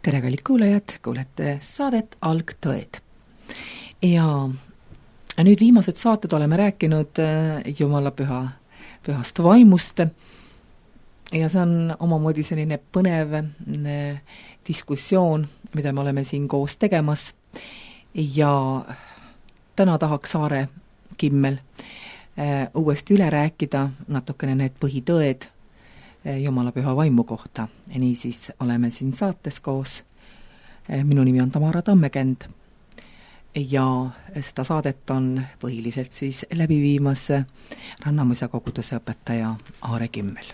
tere, kallid kuulajad, kuulete saadet Algtõed. Ja nüüd viimased saated oleme rääkinud Jumala pühast vaimust ja see on omamoodi selline põnev diskussioon, mida me oleme siin koos tegemas ja täna tahaks Saare Kimmel uuesti üle rääkida natukene need põhitõed Jumala püha vaimu kohta. Niisiis oleme siin saates koos. Minu nimi on Tamara Tammekend ja seda saadet on põhiliselt siis läbi viimas Rannamõisa koguduse õpetaja Aare Kimmel.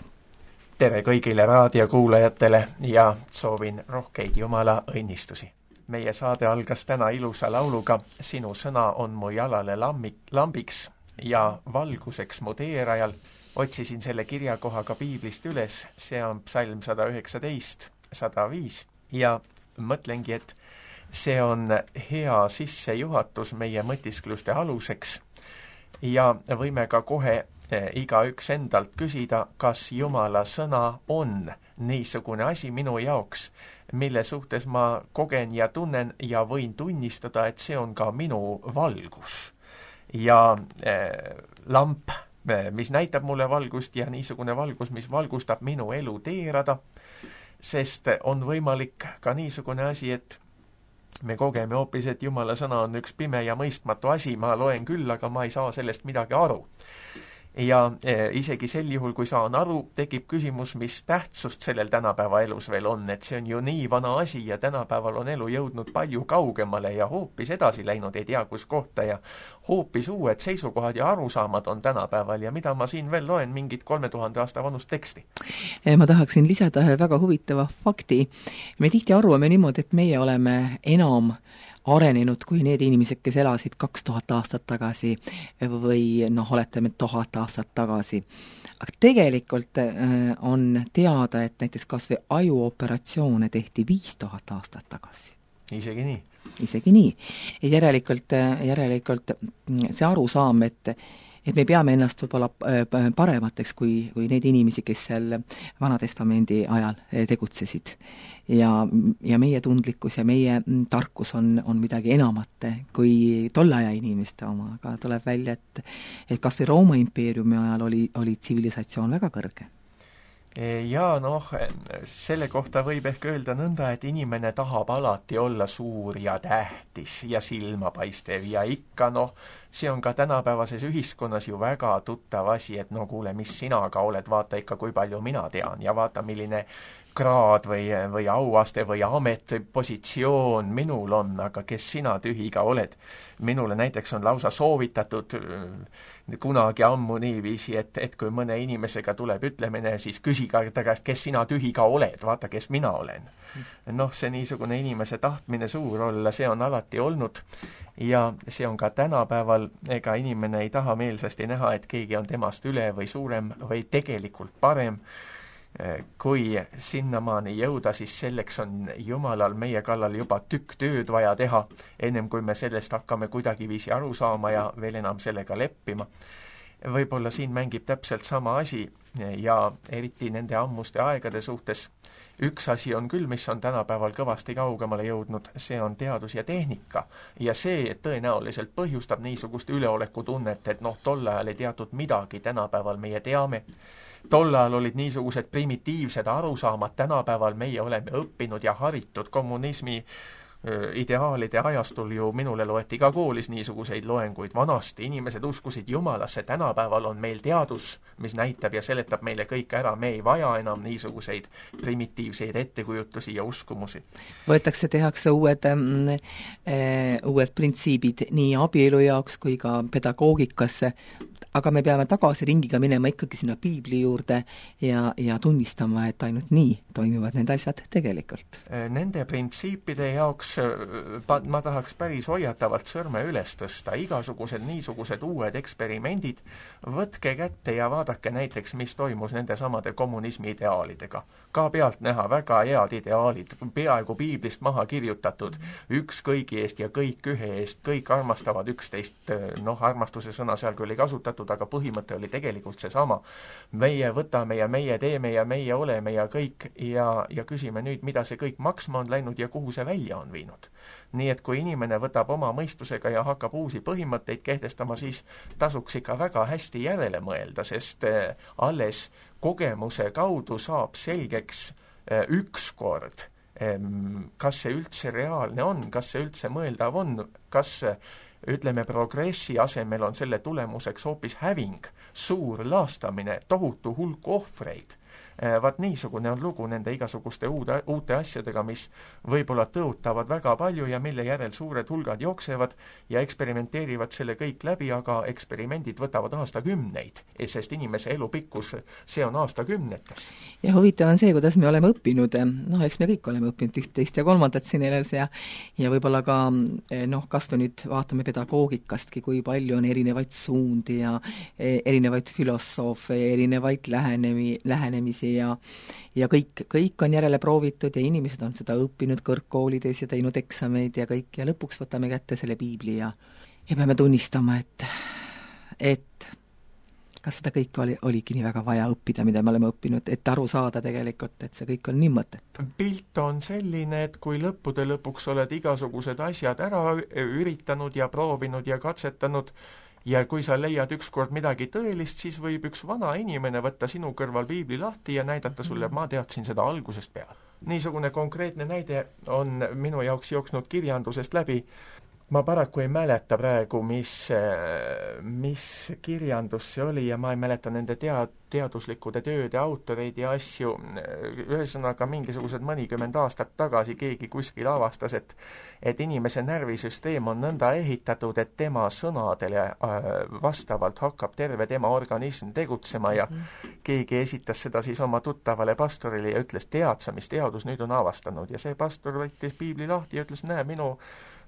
Tere kõigile raadiokuulajatele ja soovin rohkeid Jumala õnnistusi. Meie saade algas täna ilusa lauluga Sinu sõna on mu jalale lambiks ja valguseks mu teerajal. Otsisin selle kirjakohaga piiblist üles, see on psalm 119, 105 ja mõtlengi, et see on hea sissejuhatus meie mõtiskluste aluseks ja võime ka kohe igaüks endalt küsida, kas Jumala sõna on niisugune asi minu jaoks, mille suhtes ma kogen ja tunnen ja võin tunnistada, et see on ka minu valgus ja lamp, mis näitab mulle valgust ja niisugune valgus, mis valgustab minu elu teerada, sest on võimalik ka niisugune asi, et me kogeme hoopis, et Jumala sõna on üks pime ja mõistmatu asi, ma loen küll, aga ma ei saa sellest midagi aru. Ja isegi sel juhul, kui saan aru, tekib küsimus, mis tähtsust sellel tänapäeva elus veel on, et see on ju nii vana asi ja tänapäeval on elu jõudnud palju kaugemale ja hoopis edasi läinud, ei tea kus kohta ja hoopis uued seisukohad ja arusaamad on tänapäeval ja mida ma siin veel loen, mingit 3000 aasta vanust teksti. Ma tahaksin lisada väga huvitava fakti. Me tihti arvame niimoodi, et meie oleme enam arenenud kui need inimesed, kes elasid 2000 aastat tagasi või oletame 1000 aastat tagasi. Aga tegelikult on teada, et näiteks kas või ajuoperatsioone tehti 5000 aastat tagasi. Isegi nii. Isegi nii. Järelikult see arusaam, et me peame ennast võib-olla paremateks kui need inimesi, kes seal Vanatestamendi ajal tegutsesid. Ja meie tundlikkus ja meie tarkus on midagi enamat kui tolle aja inimeste oma, aga tuleb välja, et kas või Rooma impeeriumi ajal oli tsivilisatsioon väga kõrge. Ja selle kohta võib ehk öelda nõnda, et inimene tahab alati olla suur ja tähtis ja silmapaistev ja ikka see on ka tänapäevases ühiskonnas ju väga tuttav asi, et kuule, mis sina ka oled, vaata ikka, kui palju mina tean ja vaata, milline kraad või auaste või amet või positsioon minul on, aga kes sina tühiga oled. Minule näiteks on lausa soovitatud kunagi ammu niiviisi, et kui mõne inimesega tuleb ütlemine, siis küsige ta käest, kes sina tühiga oled, vaata, kes mina olen. See niisugune inimese tahtmine suur olla, see on alati olnud ja see on ka tänapäeval, ega inimene ei taha meelsasti näha, et keegi on temast üle või suurem või tegelikult parem. Kui sinnamaani jõuda, siis selleks on Jumalal meie kallal juba tükk tööd vaja teha, ennem kui me sellest hakkame kuidagiviisi aru saama ja veel enam sellega leppima. Võib-olla siin mängib täpselt sama asi ja eriti nende ammuste aegade suhtes. Üks asi on küll, mis on tänapäeval kõvasti kaugemale jõudnud, see on teadus ja tehnika ja see tõenäoliselt põhjustab niisugust üleolekutunnet, et tol ajal ei teatud midagi, tänapäeval meie teame. Tol ajal olid niisugused primitiivsed arusaamad, tänapäeval meie oleme õppinud ja haritud kommunismi ideaalide ajastul ju minule loeti ka koolis niisuguseid loenguid. Vanasti inimesed uskusid Jumalasse, tänapäeval on meil teadus, mis näitab ja seletab meile kõik ära, me ei vaja enam niisuguseid primitiivseid ettekujutusi ja uskumusi. Tehakse uued printsiibid nii abielu jaoks kui ka pedagoogikasse, aga me peame tagasi ringiga minema ikkagi sinna piibli juurde ja tunnistama, et ainult nii toimivad need asjad tegelikult. Nende printsiipide jaoks ma tahaks päris hoiatavalt sõrme üles tõsta. Igasugused niisugused uued eksperimendid, võtke kätte ja vaadake näiteks, mis toimus nende samade kommunismi ideaalidega. Ka pealt näha väga head ideaalid, peaaegu piiblist maha kirjutatud, üks kõigi eest ja kõik ühe eest, kõik armastavad üksteist, armastuse sõna seal küll ei kasutatud, asendatud, aga põhimõte oli tegelikult seesama. Meie võtame ja meie teeme ja meie oleme ja kõik ja küsime nüüd, mida see kõik maksma on läinud ja kuhu see välja on viinud. Nii et kui inimene võtab oma mõistusega ja hakkab uusi põhimõtteid kehtestama, siis tasuks ikka väga hästi järele mõelda, sest alles kogemuse kaudu saab selgeks ükskord, kas see üldse reaalne on, kas see üldse mõeldav on, kas ütleme, progressi asemel on selle tulemuseks hoopis häving, suur laastamine, tohutu hulk ohvreid. Vaat niisugune on lugu nende igasuguste uute asjadega, mis võib-olla tõotavad väga palju ja mille järel suured hulgad jooksevad ja eksperimenteerivad selle kõik läbi, aga eksperimendid võtavad aastakümneid, sest inimese elu pikkus, see on aastakümnetes. Ja huvitav on see, kuidas me oleme õppinud, eks me kõik oleme õppinud üht, teist ja kolmandat siin elus ja võib-olla ka kas me nüüd vaatame pedagoogikastki, kui palju on erinevaid suundi ja erinevaid filosoofe, erinevaid lähenemisi ja kõik on järele proovitud ja inimesed on seda õppinud kõrgkoolides ja teinud eksameid ja kõik ja lõpuks võtame kätte selle piibli ja peame tunnistama, et kas seda kõike oligi nii väga vaja õppida, mida me oleme õppinud, et aru saada tegelikult, et see kõik on nii mõttetu. Pilt on selline, et kui lõppude lõpuks oled igasugused asjad ära üritanud ja proovinud ja katsetanud, ja kui sa leiad ükskord midagi tõelist, siis võib üks vana inimene võtta sinu kõrval piibli lahti ja näidata sulle, ma teadsin seda algusest peale. Niisugune konkreetne näide on minu jaoks jooksnud kirjandusest läbi. Ma paraku ei mäleta praegu, mis kirjandus see oli ja ma ei mäleta nende teaduslikkude tööde autoreid ja asju. Ühesõnaga mingisugused mõnikümmend aastat tagasi keegi kuskil avastas, et inimese närvisüsteem on nõnda ehitatud, et tema sõnadele vastavalt hakkab terve tema organism tegutsema ja keegi esitas seda siis oma tuttavale pastorile ja ütles, tead sa, mis teadus nüüd on avastanud ja see pastor võttis piibli lahti ja ütles, näe, minu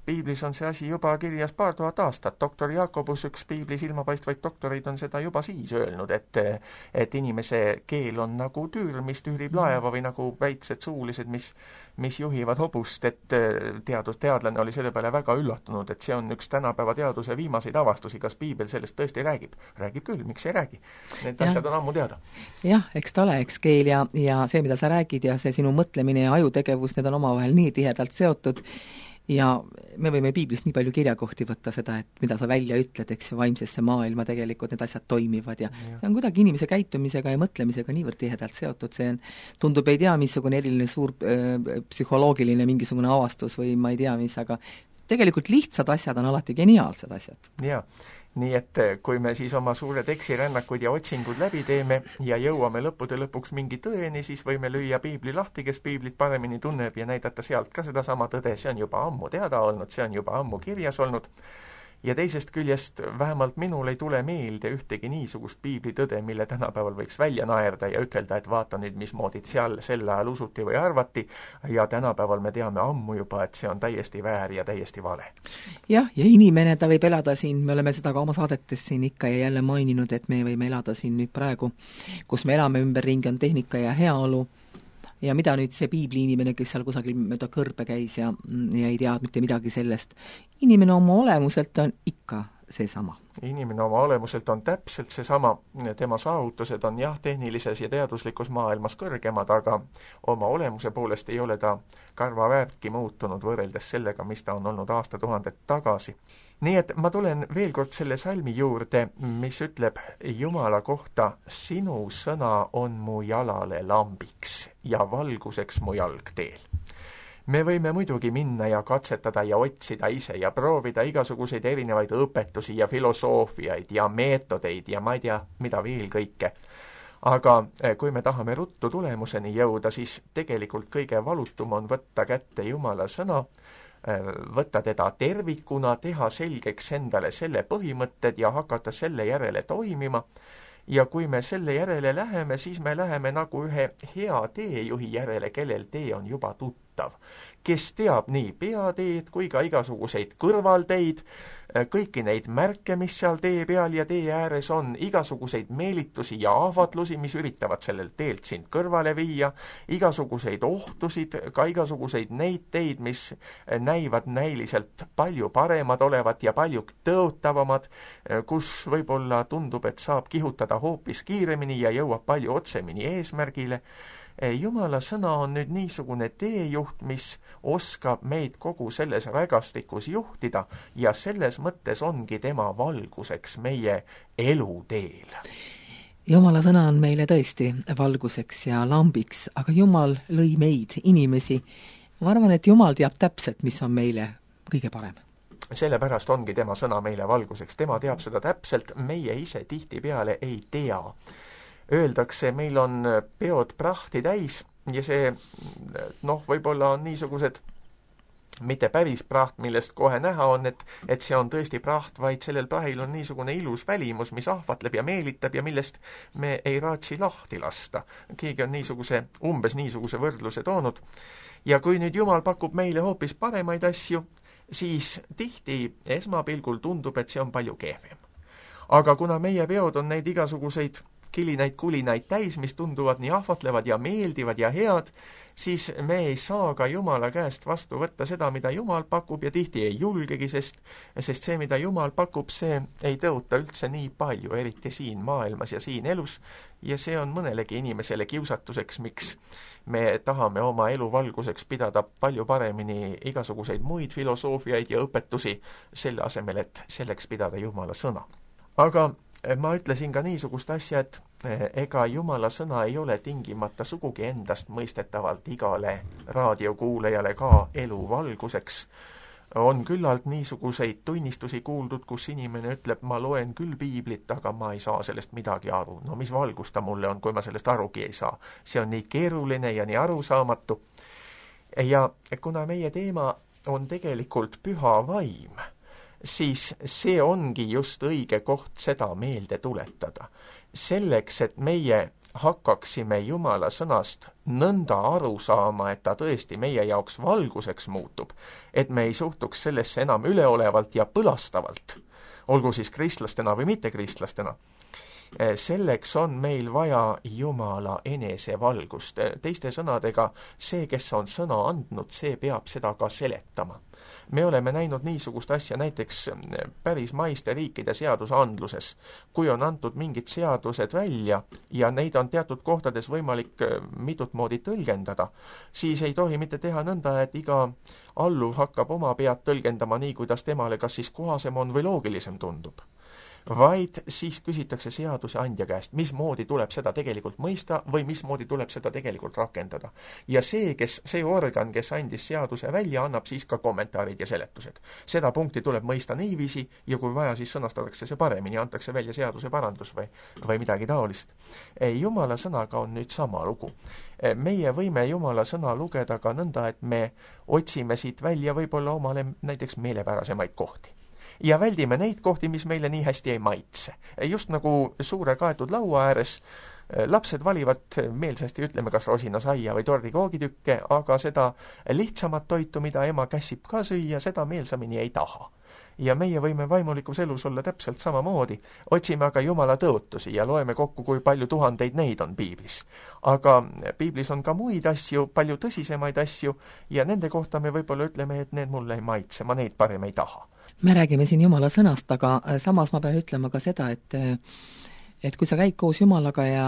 piiblis on see asi juba kirjas 2000 aastat. Doktor Jakobus, üks piiblis ilmapaistvaid doktoreid, on seda juba siis öelnud, et inimese keel on nagu tüür, mis tüürib laeva või nagu väiksed suulised, mis juhivad hobust, et teadlane oli selle peale väga üllatunud, et see on üks tänapäeva teaduse viimaseid avastusi, kas piibel sellest tõesti räägib. Räägib küll, miks ei räägi? Need asjad on ammu teada. Jah, eks ta ole, eks keel ja see, mida sa räägid ja see sinu mõtlemine ja ajutegevus, need on omavahel nii tihedalt seotud ja me võime piiblist nii palju kirjakohti võtta seda, et mida sa välja ütled, eks ju, vaimsesse maailma tegelikult need asjad toimivad ja see on kuidagi inimese käitumisega ja mõtlemisega niivõrd tihedalt seotud, see on, tundub ei tea, missugune eriline suur psühholoogiline mingisugune avastus või ma ei tea mis, aga tegelikult lihtsad asjad on alati geniaalsed asjad. Jaa. Nii et kui me siis oma suured eksirännakud ja otsingud läbi teeme ja jõuame lõppude lõpuks mingi tõeni, siis võime lüüa piibli lahti, kes piiblit paremini tunneb ja näidata sealt ka sedasama tõde, see on juba ammu teada olnud, see on juba ammu kirjas olnud. Ja teisest küljest vähemalt minul ei tule meelde ühtegi niisugust piiblitõde, mille tänapäeval võiks välja naerda ja ütelda, et vaata nüüd, mismoodi seal sel ajal usuti või arvati ja tänapäeval me teame ammu juba, et see on täiesti väär ja täiesti vale. Jah, ja inimene ta võib elada siin, me oleme seda ka oma saadetes siin ikka ja jälle maininud, et me võime elada siin nüüd praegu, kus me elame ümberringi, on tehnika ja heaolu. Ja mida nüüd see piibli inimene, kes seal kusagil mööda kõrbe käis ja ei tea mitte midagi sellest. Inimene oma olemuselt on ikka seesama. Inimene oma olemuselt on täpselt seesama, tema saavutused on jah, tehnilises ja teaduslikus maailmas kõrgemad, aga oma olemuse poolest ei ole ta karva väärtki muutunud võrreldes sellega, mis ta on olnud aastatuhandet tagasi. Nii et ma tulen veel kord selle salmi juurde, mis ütleb Jumala kohta, sinu sõna on mu jalale lambiks ja valguseks mu jalgteel. Me võime muidugi minna ja katsetada ja otsida ise ja proovida igasuguseid erinevaid õpetusi ja filosoofiaid ja meetodeid ja ma ei tea, mida veel kõike. Aga kui me tahame ruttu tulemuseni jõuda, siis tegelikult kõige valutum on võtta kätte Jumala sõna, võtta teda tervikuna, teha selgeks endale selle põhimõtted ja hakata selle järele toimima. Ja kui me selle järele läheme, siis me läheme nagu ühe hea teejuhi järele, kellel tee on juba tuttav. juhitav, kes teab nii peateed kui ka igasuguseid kõrvalteid, kõiki neid märke, mis seal tee peal ja tee ääres on, igasuguseid meelitusi ja ahvatlusi, mis üritavad sellelt teelt sind kõrvale viia, igasuguseid ohtusid, ka igasuguseid neid teid, mis näivad näiliselt palju paremad olevat ja palju tõotavamad, kus võib-olla tundub, et saab kihutada hoopis kiiremini ja jõuab palju otsemini eesmärgile. Jumala sõna on nüüd niisugune teejuht, mis oskab meid kogu selles rägastikus juhtida ja selles mõttes ongi tema valguseks meie eluteel. Jumala sõna on meile tõesti valguseks ja lambiks, aga Jumal lõi meid, inimesi. Ma arvan, et Jumal teab täpselt, mis on meile kõige parem. Sellepärast ongi tema sõna meile valguseks. Tema teab seda täpselt, meie ise tihtipeale ei tea. Öeldakse, meil on peod prahti täis ja see, võib-olla on niisugused, mitte päris praht, millest kohe näha on, et see on tõesti praht, vaid sellel prahil on niisugune ilus välimus, mis ahvatleb ja meelitab ja millest me ei raatsi lahti lasta. Keegi on umbes niisuguse võrdluse toonud. Ja kui nüüd Jumal pakub meile hoopis paremaid asju, siis tihti esmapilgul tundub, et see on palju kehvem. Aga kuna meie peod on neid igasuguseid kilinaid, kulinaid täis, mis tunduvad nii ahvatlevad ja meeldivad ja head, siis me ei saa ka Jumala käest vastu võtta seda, mida Jumal pakub ja tihti ei julgegi, sest see, mida Jumal pakub, see ei tõota üldse nii palju, eriti siin maailmas ja siin elus, ja see on mõnelegi inimesele kiusatuseks, miks me tahame oma elu valguseks pidada palju paremini igasuguseid muid filosoofiaid ja õpetusi, selle asemel, et selleks pidada Jumala sõna. Aga ma ütlesin ka niisugust asja, et ega Jumala sõna ei ole tingimata sugugi endast mõistetavalt igale raadiokuulajale ka elu valguseks. On küllalt niisuguseid tunnistusi kuuldud, kus inimene ütleb, ma loen küll piiblit, aga ma ei saa sellest midagi aru. No mis valgus ta mulle on, kui ma sellest arugi ei saa? See on nii keeruline ja nii arusaamatu. Ja kuna meie teema on tegelikult püha vaim, siis see ongi just õige koht seda meelde tuletada. Selleks, et meie hakkaksime Jumala sõnast nõnda aru saama, et ta tõesti meie jaoks valguseks muutub, et me ei suhtuks sellesse enam üleolevalt ja põlastavalt, olgu siis kristlastena või mittekristlastena, selleks on meil vaja Jumala enesevalgust. Teiste sõnadega, see, kes on sõna andnud, see peab seda ka seletama. Me oleme näinud niisugust asja näiteks päris maiste riikide seadusandluses, kui on antud mingid seadused välja ja neid on teatud kohtades võimalik mitut moodi tõlgendada, siis ei tohi mitte teha nõnda, et iga alluv hakkab oma pead tõlgendama nii, kuidas temale kas siis kohasem on või loogilisem tundub. Vaid siis küsitakse seaduse andja käest, mismoodi tuleb seda tegelikult mõista või mismoodi tuleb seda tegelikult rakendada. Ja see organ, kes andis seaduse välja, annab siis ka kommentaarid ja seletused. Seda punkti tuleb mõista niiviisi ja kui vaja, siis sõnastatakse see paremini, antakse välja seaduse parandus või midagi taolist. Jumala sõnaga on nüüd sama lugu. Meie võime Jumala sõna lugeda ka nõnda, et me otsime siit välja võib-olla omale näiteks meelepärasemaid kohti. Ja väldime neid kohti, mis meile nii hästi ei maitse. Just nagu suure kaetud laua ääres lapsed valivad meelsasti, ütleme, kas rosinasaia või tordikoogitükke, aga seda lihtsamat toitu, mida ema käsib ka süüa, seda meelsamini ei taha. Ja meie võime vaimulikus elus olla täpselt samamoodi. Otsime aga Jumala tõotusi ja loeme kokku, kui palju tuhandeid neid on piiblis. Aga piiblis on ka muid asju, palju tõsisemaid asju ja nende kohta me võib-olla ütleme, et need mulle ei maitse, ma neid parem ei taha. Me räägime siin Jumala sõnast, aga samas ma pean ütlema ka seda, et kui sa käid koos Jumalaga ja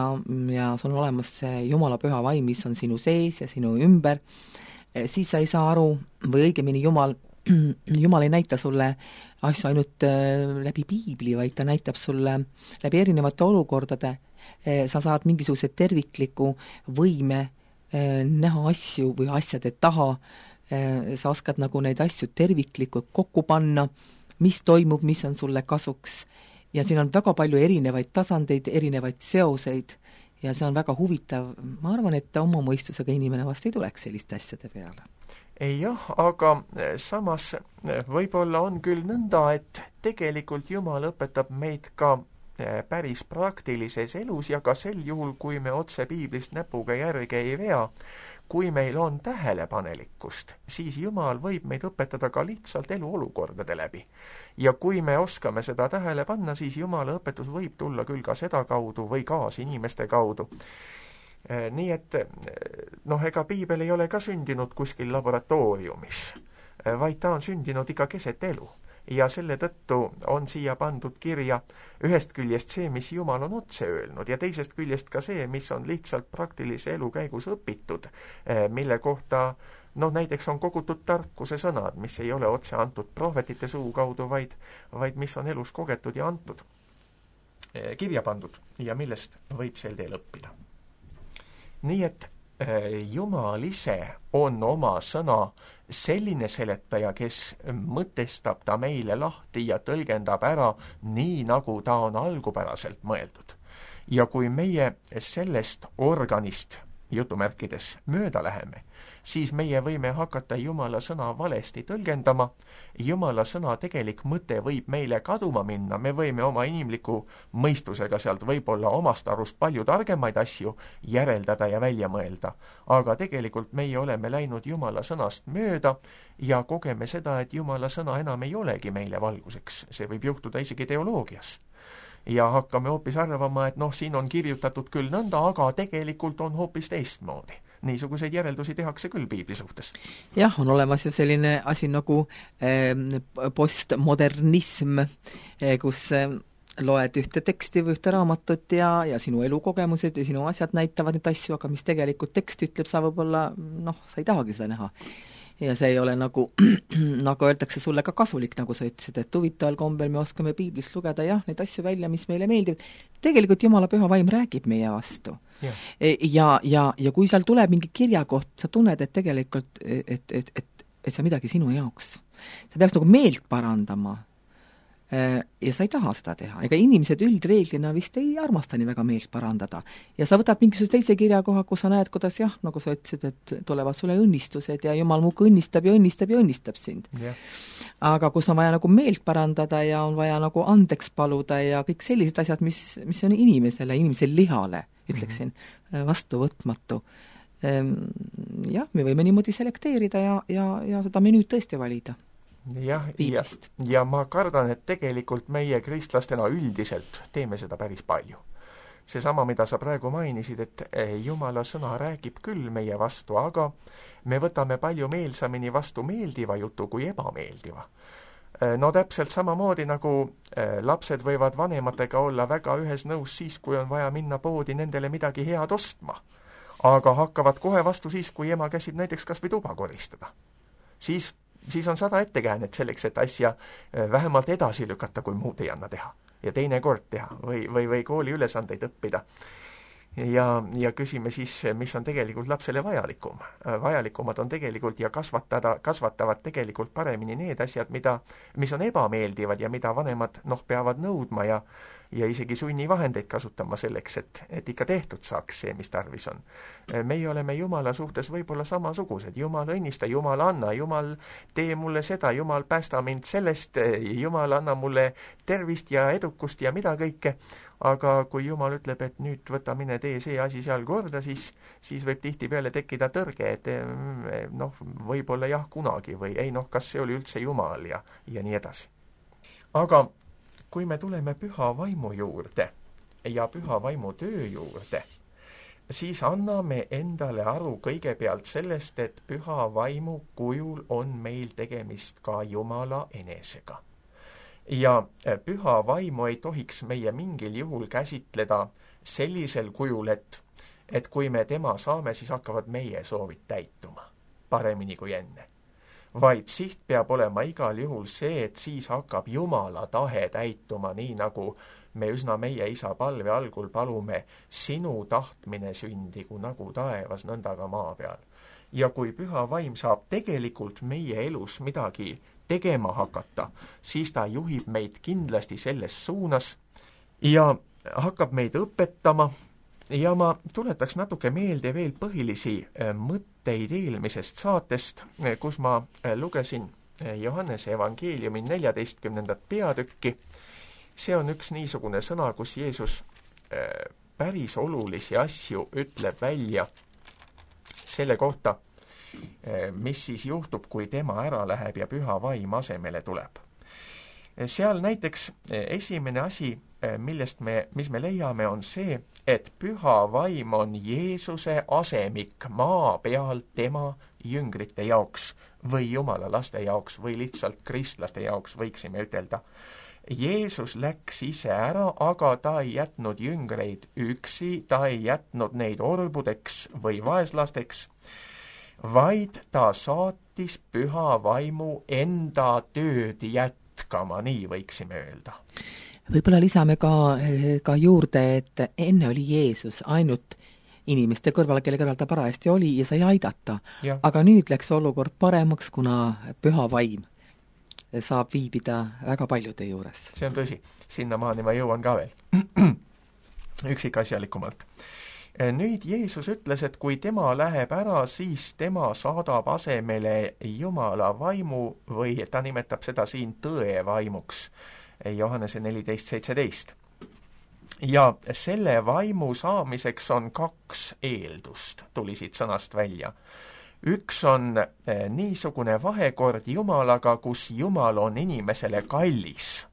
sul on olemas see Jumala püha vaim, mis on sinu sees ja sinu ümber, siis sa ei saa aru, või õigemini Jumal ei näita sulle asju ainult läbi piibli, vaid ta näitab sulle läbi erinevate olukordade. Sa saad mingisuguse tervikliku võime näha asju või asjade taha, sa oskad nagu neid asju terviklikult kokku panna, mis toimub, mis on sulle kasuks ja siin on väga palju erinevaid tasandeid, erinevaid seoseid ja see on väga huvitav. Ma arvan, et oma mõistusega inimene vast ei tuleks selliste asjade peale. Jah, aga samas võib-olla on küll nõnda, et tegelikult Jumal õpetab meid ka päris praktilises elus ja ka sel juhul, kui me otse piiblist näpuga järge ei vea, kui meil on tähelepanelikkust, siis Jumal võib meid õpetada ka lihtsalt eluolukordade läbi. Ja kui me oskame seda tähele panna, siis Jumala õpetus võib tulla küll ka seda kaudu või kaasinimeste kaudu. Nii et ega piibel ei ole ka sündinud kuskil laboratooriumis, vaid ta on sündinud ikka keset elu. Ja selle tõttu on siia pandud kirja ühest küljest see, mis Jumal on otse öelnud, ja teisest küljest ka see, mis on lihtsalt praktilise elu käigus õpitud, mille kohta näiteks on kogutud tarkuse sõnad, mis ei ole otse antud prohvetite suu kaudu, vaid mis on elus kogetud ja antud, kirja pandud ja millest võib sel teel õppida. Nii et Jumal ise on oma sõna selline seletaja, kes mõtestab ta meile lahti ja tõlgendab ära nii, nagu ta on algupäraselt mõeldud. Ja kui meie sellest organist, jutumärkides, mööda läheme, siis meie võime hakata Jumala sõna valesti tõlgendama. Jumala sõna tegelik mõte võib meile kaduma minna, me võime oma inimliku mõistusega sealt võib-olla omast arust palju targemaid asju järeldada ja välja mõelda. Aga tegelikult meie oleme läinud Jumala sõnast mööda ja kogeme seda, et Jumala sõna enam ei olegi meile valguseks. See võib juhtuda isegi teoloogias. Ja hakkame hoopis arvama, et siin on kirjutatud küll nõnda, aga tegelikult on hoopis teistmoodi. Niisuguseid järeldusi tehakse küll piibli suhtes. Jah, on olemas ju selline asi nagu postmodernism, kus loed ühte teksti või ühte raamatut ja sinu elukogemused ja sinu asjad näitavad neid asju, aga mis tegelikult tekst ütleb, sa võib-olla, sa ei tahagi seda näha. Ja see ei ole nagu öeldakse sulle ka kasulik, nagu sa ütlesid, et huvitaval kombel me oskame piiblist lugeda neid asju välja, mis meile meeldib. Tegelikult Jumala püha vaim räägib meie vastu. Ja kui seal tuleb mingi kirjakoht, sa tunned, et tegelikult, et see on midagi sinu jaoks. Sa peaks nagu meelt parandama ja sa ei taha seda teha. Ega inimesed üldreeglina vist ei armasta nii väga meelt parandada. Ja sa võtad mingisuguse teise kirjakoha, kus sa näed, kuidas nagu sa ütlesid, et tulevad sulle õnnistused ja Jumal muudkui õnnistab ja õnnistab ja õnnistab sind. Aga kus on vaja nagu meelt parandada ja on vaja nagu andeks paluda ja kõik sellised asjad, mis on inimese lihale, ütleksin, vastuvõtmatu. Me võime niimoodi selekteerida ja seda menüüd tõesti valida. Ja ma kardan, et tegelikult meie kristlastena üldiselt teeme seda päris palju. Seesama, mida sa praegu mainisid, et Jumala sõna räägib küll meie vastu, aga me võtame palju meelsamini vastu meeldiva jutu kui ebameeldiva. Täpselt samamoodi nagu lapsed võivad vanematega olla väga ühes nõus siis, kui on vaja minna poodi nendele midagi head ostma, aga hakkavad kohe vastu siis, kui ema käsib näiteks kas või tuba koristada. Siis on 100 ettekäänet selleks, et asja vähemalt edasi lükata, kui muud ei anna teha. Ja teine kord teha või kooli ülesandeid õppida. Ja küsime siis, mis on tegelikult lapsele vajalikum. Vajalikumad on tegelikult ja kasvatavad tegelikult paremini need asjad, mis on ebameeldivad ja mida vanemad peavad nõudma ja isegi sunnivahendeid kasutama selleks, et ikka tehtud saaks see, mis tarvis on. Meie oleme Jumala suhtes võib-olla samasugused. Jumal õnnista, Jumal anna, Jumal tee mulle seda, Jumal päästa mind sellest, Jumal anna mulle tervist ja edukust ja mida kõike. Aga kui Jumal ütleb, et nüüd võta mine tee see asi seal korda, siis võib tihtipeale tekkida tõrge, et võib-olla jah kunagi või ei kas see oli üldse Jumal ja nii edasi. Aga kui me tuleme püha vaimu juurde ja püha vaimu töö juurde, siis anname endale aru kõigepealt sellest, et püha vaimu kujul on meil tegemist ka Jumala enesega. Ja püha vaimu ei tohiks meie mingil juhul käsitleda sellisel kujul, et kui me tema saame, siis hakkavad meie soovid täituma paremini kui enne. Vaid siht peab olema igal juhul see, et siis hakkab Jumala tahe täituma, nii nagu me üsna meie isa palve algul palume, sinu tahtmine sündigu nagu taevas, nõnda ka maa peal. Ja kui püha vaim saab tegelikult meie elus midagi tegema hakata, siis ta juhib meid kindlasti selles suunas ja hakkab meid õpetama. Ja ma tuletaks natuke meelde veel põhilisi mõtteid eelmisest saatest, kus ma lugesin Johannese evangeeliumi 14. peatükki see on üks niisugune sõna, kus Jeesus päris olulisi asju ütleb välja selle kohta, mis siis juhtub, kui tema ära läheb ja püha vaim asemele tuleb. Seal näiteks esimene asi, mis me leiame, on see, et püha vaim on Jeesuse asemik maa peal tema jüngrite jaoks või jumala laste jaoks või lihtsalt kristlaste jaoks, võiksime ütelda. Jeesus läks ise ära, aga ta ei jätnud jüngreid üksi, ta ei jätnud neid orbudeks või vaeslasteks, vaid ta saatis püha vaimu enda tööd jätkama, nii võiksime öelda. Võib-olla lisame ka juurde, et enne oli Jeesus ainult inimeste kõrval, kelle kõrval ta parajasti oli ja sai aidata. Ja. Aga nüüd läks olukord paremaks, kuna püha vaim saab viibida väga paljude juures. See on tõsi. Sinnamaani ma jõuan ka veel üksikasjalikumalt. Nüüd Jeesus ütles, et kui tema läheb ära, siis tema saadab asemele Jumala vaimu või ta nimetab seda siin tõe vaimuks. Johannese 14:17. Ja selle vaimu saamiseks on 2 eeldust, tuli siit sõnast välja. Üks on niisugune vahekord Jumalaga, kus Jumal on inimesele kallis.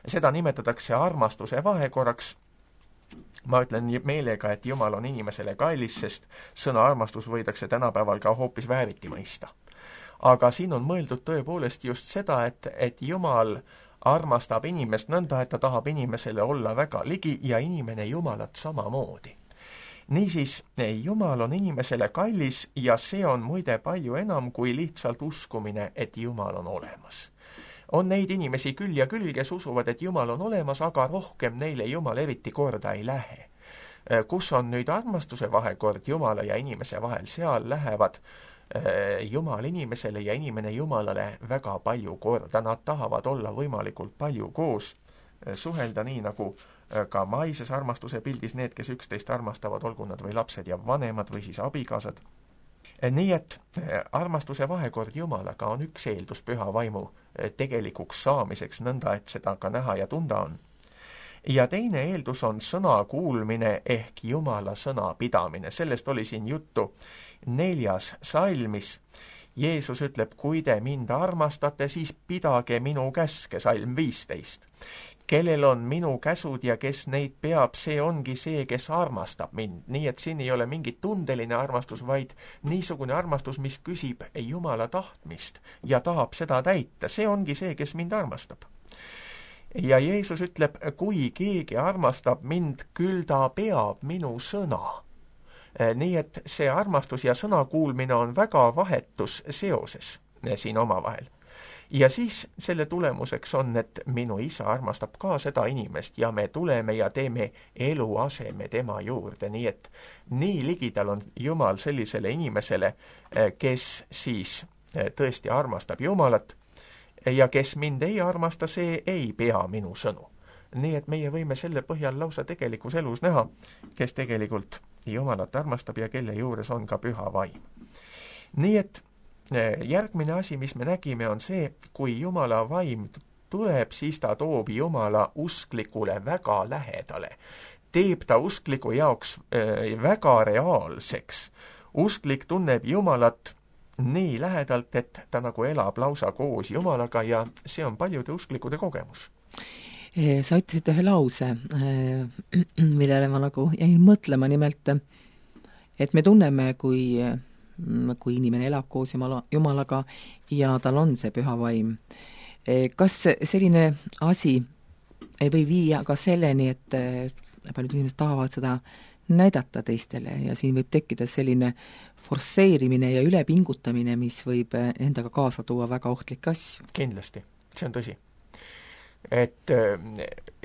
Seda nimetatakse armastuse vahekorraks. Ma ütlen meelega, et Jumal on inimesele kallis, sest sõna armastus võidakse tänapäeval ka hoopis vääriti mõista. Aga siin on mõeldud tõepoolest just seda, et Jumal armastab inimest nõnda, et ta tahab inimesele olla väga ligi ja inimene Jumalat samamoodi. Niisiis, Jumal on inimesele kallis ja see on muide palju enam kui lihtsalt uskumine, et Jumal on olemas. On neid inimesi küll ja küll, kes usuvad, et Jumal on olemas, aga rohkem neile Jumal eriti korda ei lähe. Kus on nüüd armastuse vahekord Jumala ja inimese vahel, seal lähevad Jumal inimesele ja inimene Jumalale väga palju korda. Nad tahavad olla võimalikult palju koos, suhelda nii nagu ka maises armastuse pildis need, kes üksteist armastavad, olgu nad või lapsed ja vanemad või siis abikaasad. Nii et armastuse vahekord Jumalaga on üks eeldus püha vaimu tegelikuks saamiseks, nõnda et seda ka näha ja tunda on. Ja teine eeldus on sõna kuulmine ehk Jumala sõna pidamine. Sellest oli siin juttu 4. salmis. Jeesus ütleb, kui te mind armastate, siis pidage minu käske, salm 15. Kellel on minu käsud ja kes neid peab, see ongi see, kes armastab mind. Nii et siin ei ole mingit tundeline armastus, vaid niisugune armastus, mis küsib Jumala tahtmist ja tahab seda täita. See ongi see, kes mind armastab. Ja Jeesus ütleb, kui keegi armastab mind, küll ta peab minu sõna. Nii et see armastus ja sõna kuulmine on väga vahetus seoses siin omavahel. Ja siis selle tulemuseks on, et minu isa armastab ka seda inimest ja me tuleme ja teeme eluaseme tema juurde. Nii et nii ligidal on Jumal sellisele inimesele, kes siis tõesti armastab Jumalat ja kes mind ei armasta, see ei pea minu sõnu. Nii et meie võime selle põhjal lausa tegelikus elus näha, kes tegelikult Jumalat armastab ja kelle juures on ka püha vaim. Nii et järgmine asi, mis me nägime, on see, kui Jumala vaim tuleb, siis ta toob Jumala usklikule väga lähedale. Teeb ta uskliku jaoks väga reaalseks. Usklik tunneb Jumalat nii lähedalt, et ta nagu elab lausa koos Jumalaga ja see on paljude usklikude kogemus. Sa ütlesid ühe lause, millele ma nagu jäin mõtlema, nimelt, et me tunneme, kui inimene elab koos Jumalaga ja tal on see püha vaim. Kas selline asi ei või viia ka selleni, et paljud inimesed tahavad seda näidata teistele ja siin võib tekkida selline forsseerimine ja ülepingutamine, mis võib endaga kaasa tuua väga ohtlikke asju? Kindlasti, see on tõsi. Et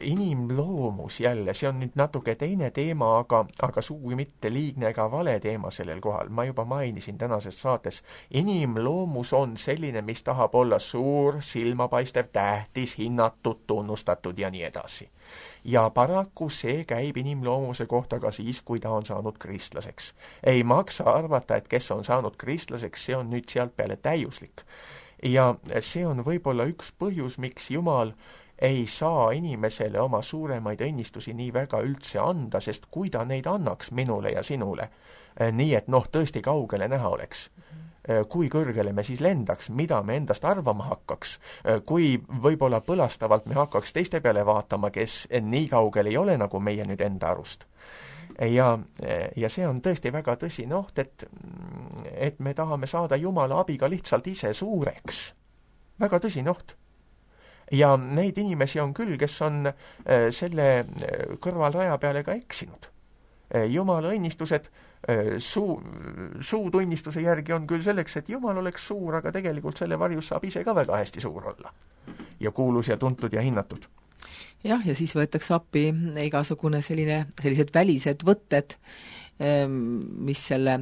inimloomus jälle, see on nüüd natuke teine teema, aga sugugi mitte liigne ega vale teema sellel kohal. Ma juba mainisin tänases saates, inimloomus on selline, mis tahab olla suur, silmapaistev, tähtis, hinnatud, tunnustatud ja nii edasi. Ja paraku see käib inimloomuse kohta ka siis, kui ta on saanud kristlaseks. Ei maksa arvata, et kes on saanud kristlaseks, see on nüüd sealt peale täiuslik. Ja see on võib-olla üks põhjus, miks Jumal ei saa inimesele oma suuremaid õnnistusi nii väga üldse anda, sest kui ta neid annaks minule ja sinule, nii et tõesti kaugele näha oleks, kui kõrgele me siis lendaks, mida me endast arvama hakkaks, kui võib-olla põlastavalt me hakkaks teiste peale vaatama, kes nii kaugel ei ole nagu meie nüüd enda arust. Ja see on tõesti väga tõsine oht, et me tahame saada Jumala abiga lihtsalt ise suureks. Väga tõsine oht. Ja neid inimesi on küll, kes on selle kõrvalraja peale ka eksinud. Jumala õnnistused suutunnistuse järgi on küll selleks, et Jumal oleks suur, aga tegelikult selle varjus saab ise ka väga hästi suur olla. Ja kuulus ja tuntud ja hinnatud. Jah, ja siis võetakse appi igasugune sellised välised võtted, mis selle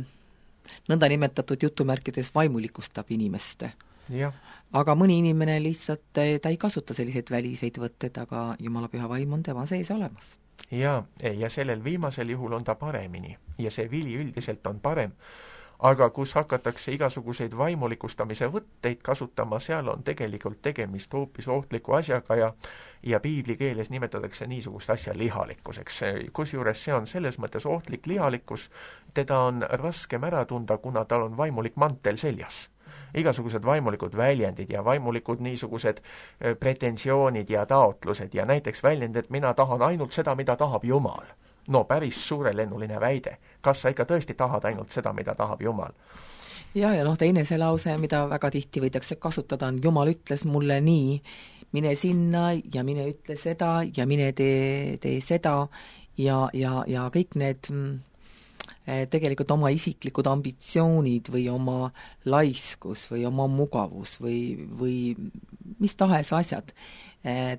nõndanimetatud jutumärkides vaimulikustab inimest. Ja. Aga mõni inimene lihtsalt, ta ei kasuta selliseid väliseid võtted, aga Jumala püha vaim on tema sees olemas. Ja sellel viimasel juhul on ta paremini ja see vili üldiselt on parem. Aga kus hakatakse igasuguseid vaimulikustamise võtteid kasutama, seal on tegelikult tegemist hoopis ohtliku asjaga ja piibli keeles nimetatakse niisugust asja lihalikkuseks. Kusjuures see on selles mõttes ohtlik lihalikkus, teda on raskem ära tunda, kuna tal on vaimulik mantel seljas. Igasugused vaimulikud väljendid ja vaimulikud niisugused pretensioonid ja taotlused ja näiteks väljend, et mina tahan ainult seda, mida tahab Jumal. No päris suurelennuline väide. Kas sa ikka tõesti tahad ainult seda, mida tahab Jumal? Ja teine see lause, mida väga tihti võidakse kasutada, on Jumal ütles mulle nii, mine sinna ja mine ütle seda ja mine tee seda ja kõik need tegelikult oma isiklikud ambitsioonid või oma laiskus või oma mugavus või mis tahes asjad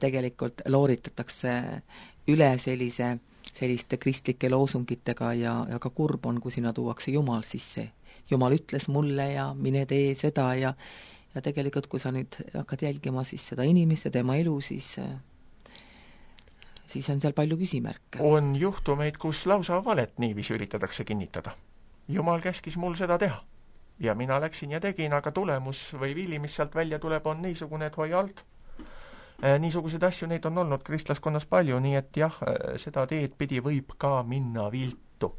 tegelikult looritatakse üle selliste kristlike loosungitega ja ka kurb on, kui sinna tuuakse Jumal sisse. Jumal ütles mulle ja mine tee seda ja tegelikult, kui sa nüüd hakkad jälgima siis seda inimest ja tema elu, siis on seal palju küsimärke. On juhtumeid, kus lausa valet niiviisi üritatakse kinnitada. Jumal käskis mul seda teha. Ja mina läksin ja tegin, aga tulemus või vili, mis sealt välja tuleb, on niisugune, et hoi alt. Niisuguseid asju, neid on olnud kristlaskonnas palju, nii et jah, seda teed pidi võib ka minna viltu.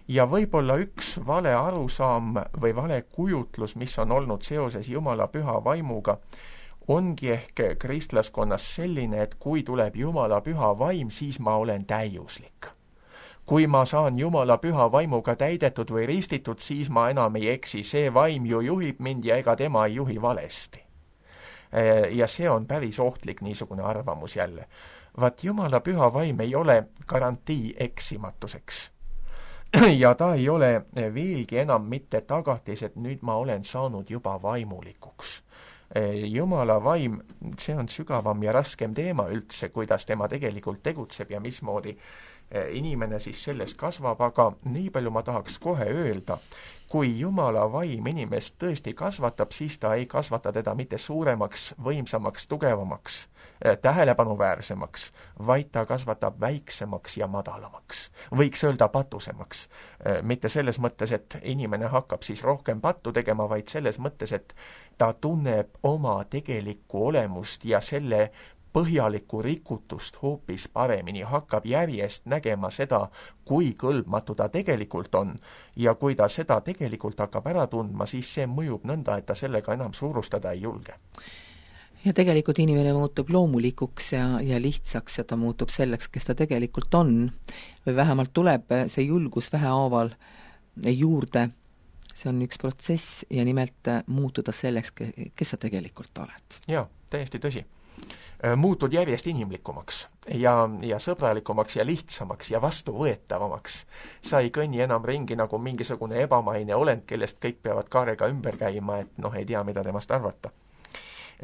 Ja võib-olla üks vale arusaam või vale kujutlus, mis on olnud seoses Jumala püha vaimuga, ongi ehk kristlaskonnas selline, et kui tuleb Jumala püha vaim, siis ma olen täiuslik. Kui ma saan Jumala püha vaimuga täidetud või ristitud, siis ma enam ei eksi, see vaim ju juhib mind ja ega tema ei juhi valesti. Ja see on päris ohtlik niisugune arvamus jälle. Vaat Jumala püha vaim ei ole garantii eksimatuseks. Ja ta ei ole veelgi enam mitte tagatis, et nüüd ma olen saanud juba vaimulikuks. Jumala vaim, see on sügavam ja raskem teema üldse, kuidas tema tegelikult tegutseb ja mismoodi inimene siis selles kasvab, aga nii palju ma tahaks kohe öelda, kui Jumala vaim inimest tõesti kasvatab, siis ta ei kasvata teda mitte suuremaks, võimsamaks, tugevamaks, tähelepanuväärsemaks, vaid ta kasvatab väiksemaks ja madalamaks. Võiks öelda patusemaks. Mitte selles mõttes, et inimene hakkab siis rohkem pattu tegema, vaid selles mõttes, et ta tunneb oma tegelikku olemust ja selle põhjalikku rikutust hoopis paremini, hakkab järjest nägema seda, kui kõlbmatu ta tegelikult on ja kui ta seda tegelikult hakkab ära tundma, siis see mõjub nõnda, et ta sellega enam suurustada ei julge. Ja tegelikult inimene muutub loomulikuks ja lihtsaks ja ta muutub selleks, kes ta tegelikult on. Või vähemalt tuleb see julgus vähehaaval juurde. See on üks protsess ja nimelt muutuda selleks, kes sa tegelikult oled. Jaa, täiesti tõsi. Muutud järjest inimlikumaks ja sõbralikumaks ja lihtsamaks ja vastuvõetavamaks. Sa ei kõnni enam ringi nagu mingisugune ebamaine olend, kellest kõik peavad kaarega ümber käima, et ei tea, mida temast arvata.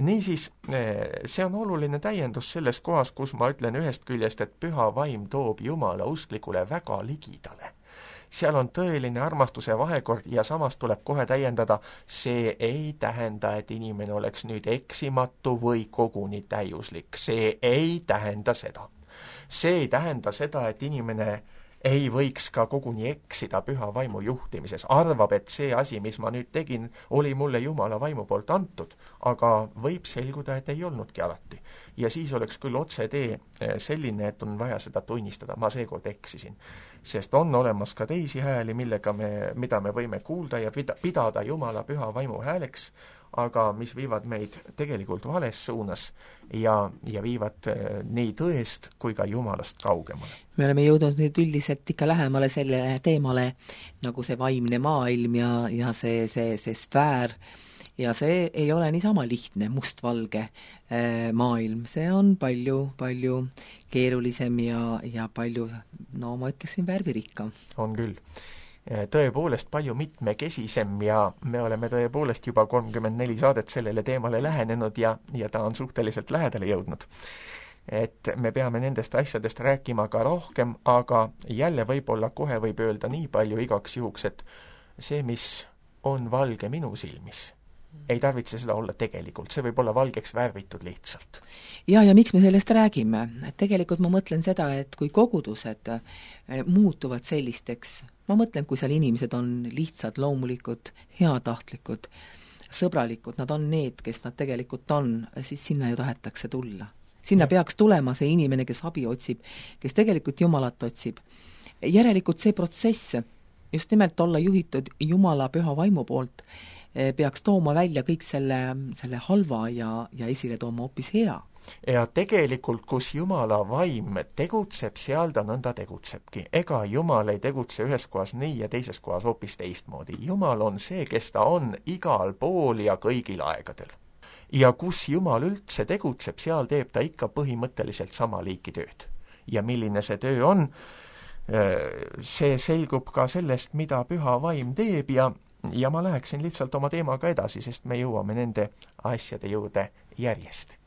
Niisiis, see on oluline täiendus selles kohas, kus ma ütlen ühest küljest, et püha vaim toob Jumala usklikule väga ligidale. Seal on tõeline armastuse vahekord ja samas tuleb kohe täiendada, see ei tähenda, et inimene oleks nüüd eksimatu või koguni täiuslik. See ei tähenda seda. See ei tähenda seda, et inimene ei võiks ka koguni eksida püha vaimu juhtimises, arvab, et see asi, mis ma nüüd tegin, oli mulle Jumala vaimu poolt antud, aga võib selguda, et ei olnudki alati. Ja siis oleks küll otsetee selline, et on vaja seda tunnistada, ma seekord eksisin. Sest on olemas ka teisi hääli, mida me võime kuulda ja pidada Jumala püha vaimu hääleks, aga mis viivad meid tegelikult vales suunas ja viivad nii tõest kui ka Jumalast kaugemale. Me oleme jõudnud nüüd üldiselt ikka lähemale sellele teemale nagu see vaimne maailm ja see sfäär, ja see ei ole niisama lihtne mustvalge maailm, see on palju keerulisem ja palju, no ma ütleksin, värvirikkam. On küll. Tõepoolest palju mitmekesisem ja me oleme tõepoolest juba 34 saadet sellele teemale lähenenud ja ta on suhteliselt lähedale jõudnud. Et me peame nendest asjadest rääkima ka rohkem, aga jälle võib-olla kohe võib öelda nii palju igaks juhuks, et see, mis on valge minu silmis, ei tarvitse seda olla tegelikult, see võib olla valgeks värvitud lihtsalt. Ja miks me sellest räägime? Tegelikult ma mõtlen seda, et kui kogudused muutuvad sellisteks, ma mõtlen, kui seal inimesed on lihtsad, loomulikud, heatahtlikud, sõbralikud, nad on need, kes nad tegelikult on, siis sinna ju tahetakse tulla. Sinna peaks tulema see inimene, kes abi otsib, kes tegelikult Jumalat otsib. Järelikult see protsess, just nimelt olla juhitud Jumala püha vaimu poolt, peaks tooma välja kõik selle halva ja esile tooma hoopis hea. Ja tegelikult, kus Jumala vaim tegutseb, seal ta nõnda tegutsebki. Ega Jumal ei tegutse ühes kohas nii ja teises kohas hoopis teistmoodi. Jumal on see, kes ta on igal pool ja kõigil aegadel. Ja kus Jumal üldse tegutseb, seal teeb ta ikka põhimõtteliselt sama liiki tööd. Ja milline see töö on, see selgub ka sellest, mida püha vaim teeb ja ma läheksin lihtsalt oma teemaga edasi, sest me jõuame nende asjade juurde järjest.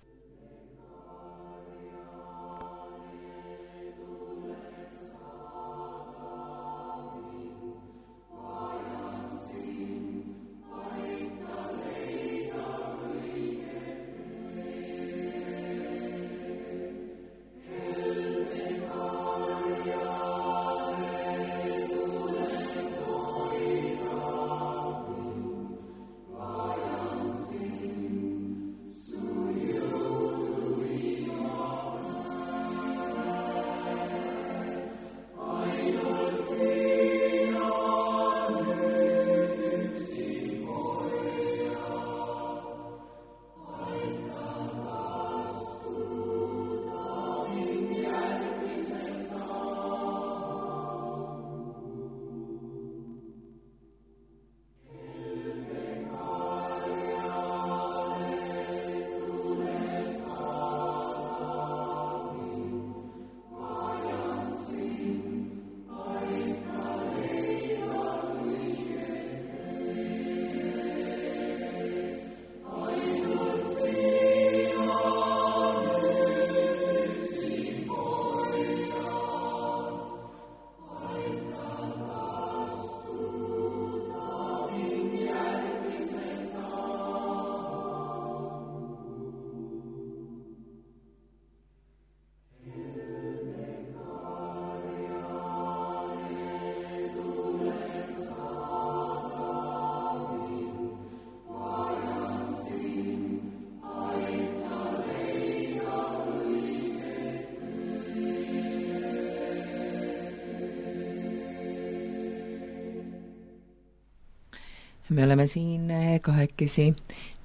Me oleme siin kahekesi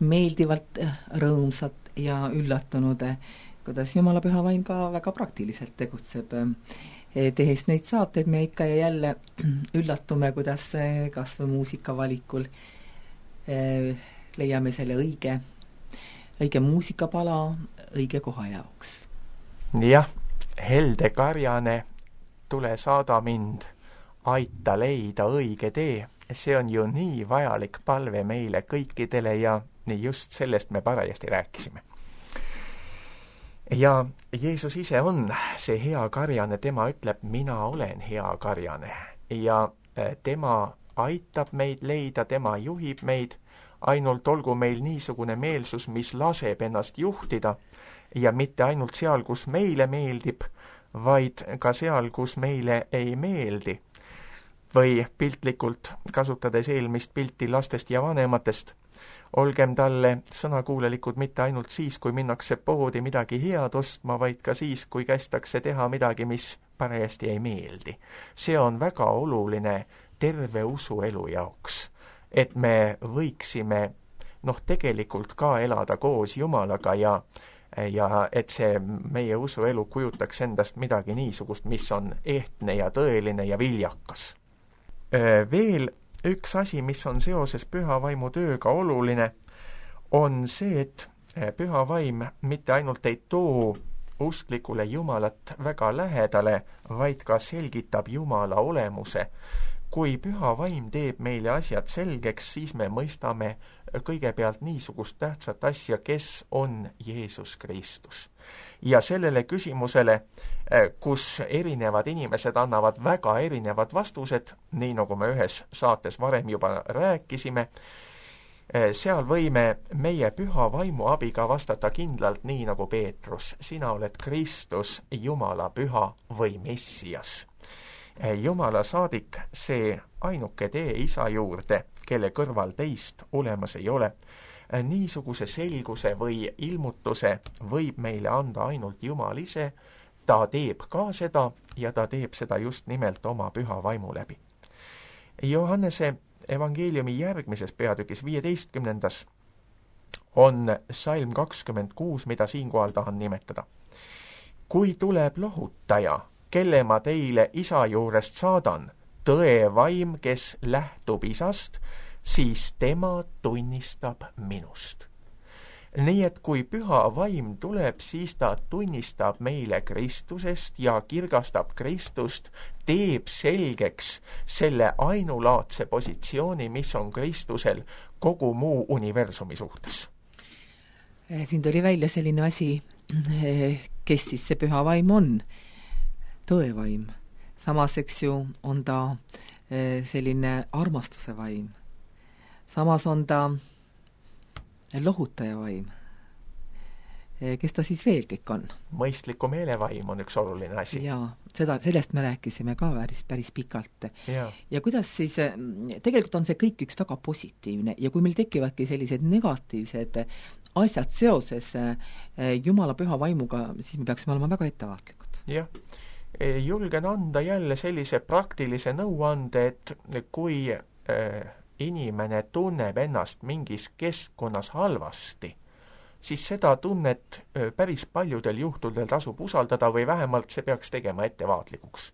meeldivalt rõõmsad ja üllatunud, kuidas Jumala püha vaim ka väga praktiliselt tegutseb. Tehes neid saateid me ikka ja jälle üllatume, kuidas kas või muusikavalikul leiame selle õige muusikapala õige koha jaoks. Jah, helde karjane, tule saada mind, aita leida õige tee. See on ju nii vajalik palve meile kõikidele ja nii just sellest me parajasti rääkisime. Ja Jeesus ise on see hea karjane, tema ütleb, mina olen hea karjane ja tema aitab meid leida, tema juhib meid, ainult olgu meil niisugune meelsus, mis laseb ennast juhtida ja mitte ainult seal, kus meile meeldib, vaid ka seal, kus meile ei meeldi. Või piltlikult kasutades eelmist pilti lastest ja vanematest, olgem talle sõnakuulelikud mitte ainult siis, kui minnakse poodi midagi head ostma, vaid ka siis, kui kästakse teha midagi, mis parajasti ei meeldi. See on väga oluline terve usuelu jaoks, et me võiksime tegelikult ka elada koos Jumalaga ja et see meie usuelu kujutaks endast midagi niisugust, mis on ehtne ja tõeline ja viljakas. Veel üks asi, mis on seoses püha vaimu tööga oluline, on see, et püha vaim mitte ainult ei too usklikule Jumalat väga lähedale, vaid ka selgitab Jumala olemuse. Kui püha vaim teeb meile asjad selgeks, siis me mõistame kõigepealt niisugust tähtsat asja, kes on Jeesus Kristus. Ja sellele küsimusele, kus erinevad inimesed annavad väga erinevad vastused, nii nagu me ühes saates varem juba rääkisime, seal võime meie püha vaimu abiga vastata kindlalt nii nagu Peetrus. Sina oled Kristus, Jumala püha või Messias. Jumala saadik, see ainuke tee Isa juurde, kelle kõrval teist olemas ei ole. Niisuguse selguse või ilmutuse võib meile anda ainult Jumal ise. Ta teeb ka seda ja ta teeb seda just nimelt oma püha vaimu läbi. Johannese evangeeliumi järgmises peatükis 15. on salm 26, mida siinkohal tahan nimetada. Kui tuleb lohutaja, kelle ma teile Isa juurest saadan, tõe vaim, kes lähtub Isast, siis tema tunnistab minust. Nii et kui püha vaim tuleb, siis ta tunnistab meile Kristusest ja kirgastab Kristust, teeb selgeks selle ainulaadse positsiooni, mis on Kristusel kogu muu universumi suhtes. Siin tuli välja selline asi, kes siis see püha vaim on? Tõevaim. Samas, eks ju, on ta selline armastuse vaim. Samas on ta lohutaja vaim. Kes ta siis veel kõik on? Mõistliku meelevaim on üks oluline asi. Jaa, sellest me rääkisime ka päris pikalt. Ja kuidas siis, tegelikult on see kõik üks väga positiivne ja kui meil tekivadki sellised negatiivsed asjad seoses Jumala püha vaimuga, siis me peaksime olema väga ettevaatlikud. Jah. Julgen anda jälle sellise praktilise nõuande, et kui inimene tunneb ennast mingis keskkonnas halvasti, siis seda tunnet päris paljudel juhtudel tasub usaldada või vähemalt see peaks tegema ettevaatlikuks.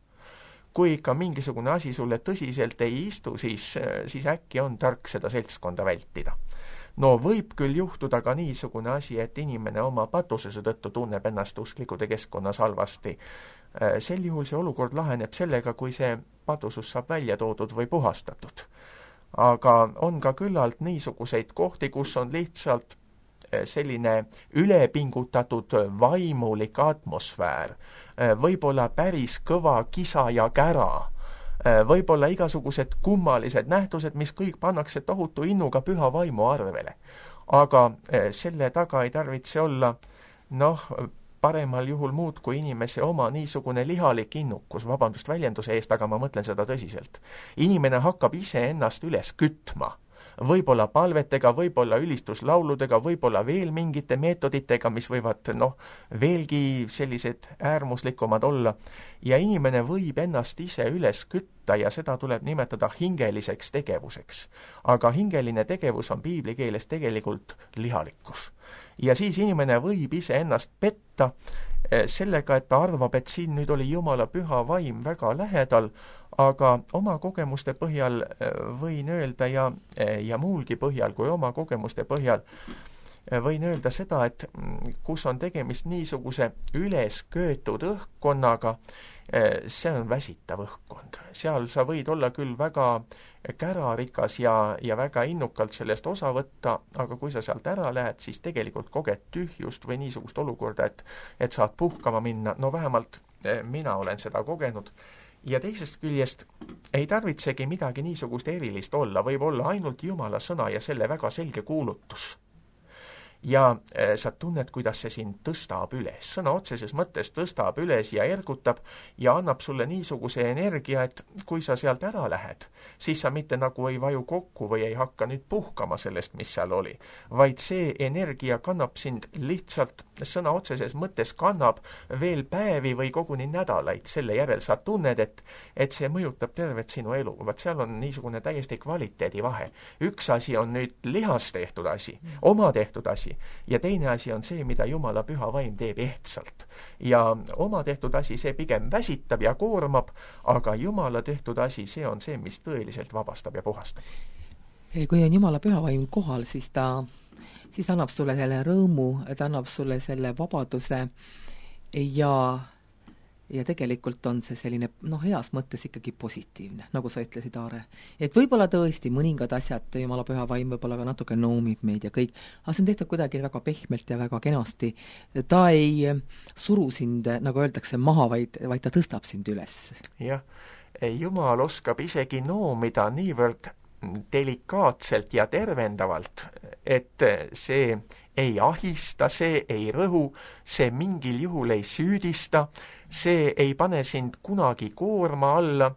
Kui ikka mingisugune asi sulle tõsiselt ei istu, siis äkki on tark seda seltskonda vältida. No võib küll juhtuda ka niisugune asi, et inimene oma patusese tõttu tunneb ennast usklikude keskkonnas halvasti. Sel juhul see olukord laheneb sellega, kui see patusus saab välja toodud või puhastatud. Aga on ka küllalt niisuguseid kohti, kus on lihtsalt selline ülepingutatud vaimulik atmosfäär, võib-olla päris kõva kisa ja kära, võib-olla igasugused kummalised nähtused, mis kõik pannakse tohutu innuga püha vaimu arvele. Aga selle taga ei tarvitse olla, paremal juhul muud kui inimese oma niisugune lihalik innukus, vabandust väljenduse eest, aga ma mõtlen seda tõsiselt. Inimene hakkab ise ennast üles kütma. Võib-olla palvetega, võib-olla ülistuslauludega, võib-olla veel mingite meetoditega, mis võivad veelgi sellised äärmuslikumad olla. Ja inimene võib ennast ise üles kütta ja seda tuleb nimetada hingeliseks tegevuseks. Aga hingeline tegevus on piibli keeles tegelikult lihalikkus. Ja siis inimene võib ise ennast petta sellega, et ta arvab, et siin nüüd oli Jumala püha vaim väga lähedal, aga oma kogemuste põhjal võin öelda ja muulgi põhjal kui oma kogemuste põhjal võin öelda seda, et kus on tegemist niisuguse ülesköetud õhkkonnaga, see on väsitav õhkkond. Seal sa võid olla küll väga kärarikas ja väga innukalt sellest osa võtta, aga kui sa sealt ära lähed, siis tegelikult koged tühjust või niisugust olukorda, et saad puhkama minna. Vähemalt mina olen seda kogenud. Ja teisest küljest ei tarvitsegi midagi niisugust erilist olla, võib olla ainult Jumala sõna ja selle väga selge kuulutus. ja sa tunned, kuidas see sind tõstab üles, sõna otseses mõttes tõstab üles ja ergutab ja annab sulle niisuguse energia, et kui sa sealt ära lähed, siis sa mitte nagu ei vaju kokku või ei hakka nüüd puhkama sellest, mis seal oli, vaid see energia kannab sind lihtsalt, sõna otseses mõttes kannab veel päevi või koguni nädalaid, selle järel sa tunned, et see mõjutab tervet sinu elu. Vaat seal on niisugune täiesti kvaliteedi vahe. Üks asi on nüüd lihas tehtud asi, oma tehtud asi, ja teine asi on see, mida Jumala püha vaim teeb ehtsalt. Ja oma tehtud asi, see pigem väsitab ja koormab, aga Jumala tehtud asi, see on see, mis tõeliselt vabastab ja puhastab. Kui on Jumala püha vaim kohal, siis ta annab sulle selle rõõmu, ta annab sulle selle vabaduse ja tegelikult on see selline, heas mõttes ikkagi positiivne, nagu sa ütlesid, Aare. Et võib-olla tõesti mõningad asjad, Jumala püha vaim võib-olla ka natuke noomib meid ja kõik, aga see on tehtud kuidagi väga pehmelt ja väga kenasti. Ta ei suru sind, nagu öeldakse, maha, vaid ta tõstab sind üles. Jah, Jumal oskab isegi noomida niivõrd delikaatselt ja tervendavalt, et see ei ahista, see ei rõhu, see mingil juhul ei süüdista, see ei pane sind kunagi koorma alla.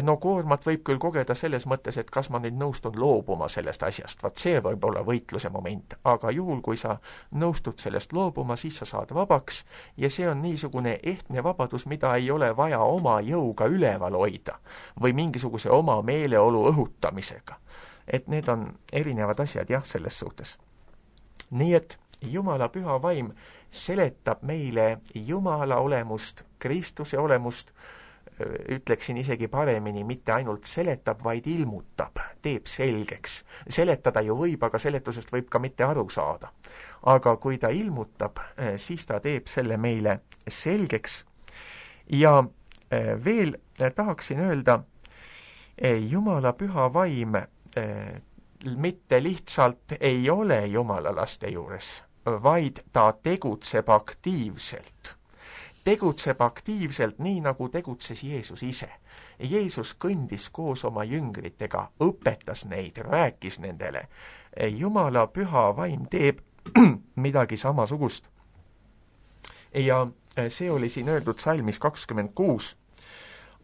No koormat võib küll kogeda selles mõttes, et kas ma nüüd nõustun loobuma sellest asjast, vaat see võib olla võitluse moment, aga juhul, kui sa nõustud sellest loobuma, siis sa saad vabaks ja see on niisugune ehtne vabadus, mida ei ole vaja oma jõuga üleval hoida või mingisuguse oma meeleolu õhutamisega. Et need on erinevad asjad jah, selles suhtes. Nii et Jumala püha vaim seletab meile Jumala olemust, Kristuse olemust, ütleksin isegi paremini, mitte ainult seletab, vaid ilmutab, teeb selgeks. Seletada ju võib, aga seletusest võib ka mitte aru saada. Aga kui ta ilmutab, siis ta teeb selle meile selgeks. Ja veel tahaksin öelda, Jumala püha vaim mitte lihtsalt ei ole Jumala laste juures, vaid ta tegutseb aktiivselt. Tegutseb aktiivselt nii, nagu tegutses Jeesus ise. Jeesus kõndis koos oma jüngritega, õpetas neid, rääkis nendele. Jumala püha vaim teeb midagi samasugust. Ja see oli siin öeldud salmis 26.